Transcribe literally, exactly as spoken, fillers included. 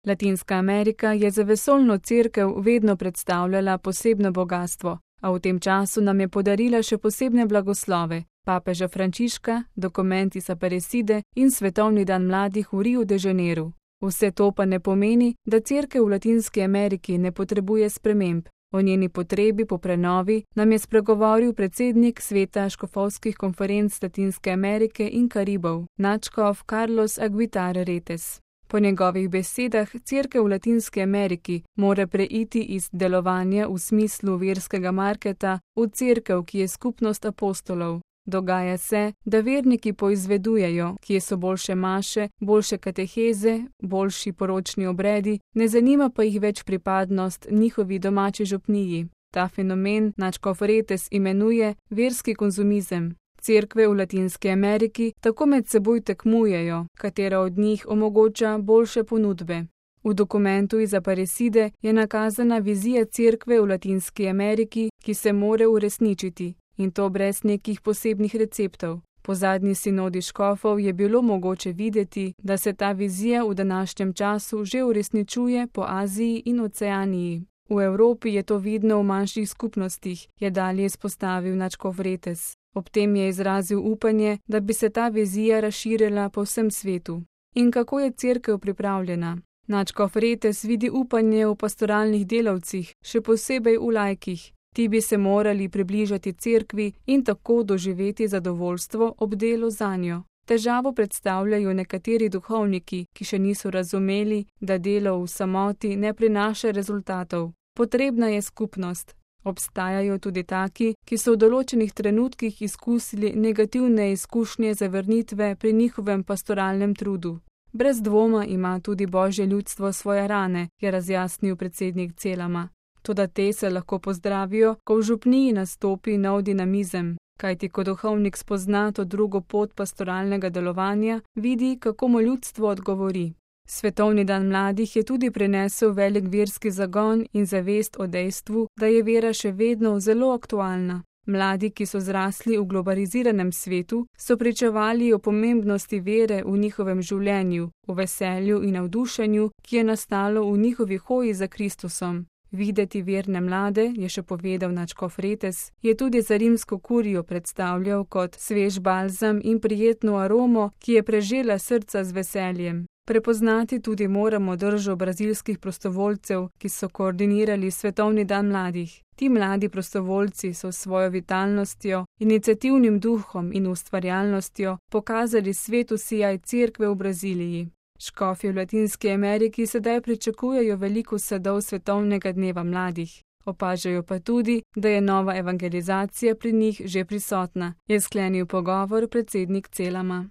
Latinska Amerika je za vesoljno cerkev vedno predstavljala posebno bogatstvo, a v tem času nam je podarila še posebne blagoslove, papeža Frančiška, dokument iz Aparecide in Svetovni dan mladih v Riu de Janeiru. Vse to pa ne pomeni, da cerkev v Latinski Ameriki ne potrebuje sprememb. O njeni potrebi po prenovi nam je spregovoril predsednik Sveta škofovskih konferenc Latinske Amerike in Karibov, nadškof Carlos Aguitar Retes. Po njegovih besedah cerkev v Latinski Ameriki mora preiti iz delovanja v smislu verskega marketa v cerkev, ki je skupnost apostolov. Dogaja se, da verniki poizvedujejo, kje so boljše maše, boljše kateheze, boljši poročni obredi, ne zanima pa jih več pripadnost njihovi domači župniji. Ta fenomen nadškof Retes imenuje verski konzumizem. Cerkve v Latinski Ameriki tako med seboj tekmujejo, katera od njih omogoča boljše ponudbe. V dokumentu iz Aparecide je nakazana vizija cerkve v Latinski Ameriki, ki se more uresničiti. In to brez nekih posebnih receptov. Po zadnji sinodi škofov je bilo mogoče videti, da se ta vizija v današnjem času že uresničuje po Aziji in Oceaniji. V Evropi je to vidno v manjših skupnostih, je dalje izpostavil nadškof Retes. Ob tem je izrazil upanje, da bi se ta vizija razširila po vsem svetu. In kako je cerkev pripravljena? Nadškof Retes vidi upanje v pastoralnih delavcih, še posebej v laikih. Ti bi se morali približati cerkvi in tako doživeti zadovoljstvo ob delu zanjo. Težavo predstavljajo nekateri duhovniki, ki še niso razumeli, da delo v samoti ne prinaša rezultatov. Potrebna je skupnost. Obstajajo tudi taki, ki so v določenih trenutkih izkusili negativne izkušnje zavrnitve pri njihovem pastoralnem trudu. Brez dvoma ima tudi Božje ljudstvo svoje rane, je razjasnil predsednik Celama. Toda te se lahko pozdravijo, ko v župniji nastopi nov dinamizem, kajti ko duhovnik spozna to drugo pot pastoralnega delovanja, vidi, kako mu ljudstvo odgovori. Svetovni dan mladih je tudi prinesel velik verski zagon in zavest o dejstvu, da je vera še vedno zelo aktualna. Mladi, ki so zrasli v globaliziranem svetu, so pričevali o pomembnosti vere v njihovem življenju, o veselju in navdušenju, ki je nastalo v njihovi hoji za Kristusom. Videti verne mlade, je še povedal nadškof Retes, je tudi za rimsko kurijo predstavljal kot svež balzam in prijetno aromo, ki je prežela srca z veseljem. Prepoznati tudi moramo držo brazilskih prostovoljcev, ki so koordinirali Svetovni dan mladih. Ti mladi prostovoljci so s svojo vitalnostjo, iniciativnim duhom in ustvarjalnostjo pokazali svetu sijaj cerkve v Braziliji. Škofje v Latinski Ameriki sedaj pričakujejo veliko sadov Svetovnega dneva mladih. Opažajo pa tudi, da je nova evangelizacija pri njih že prisotna, je sklenil pogovor predsednik Celama.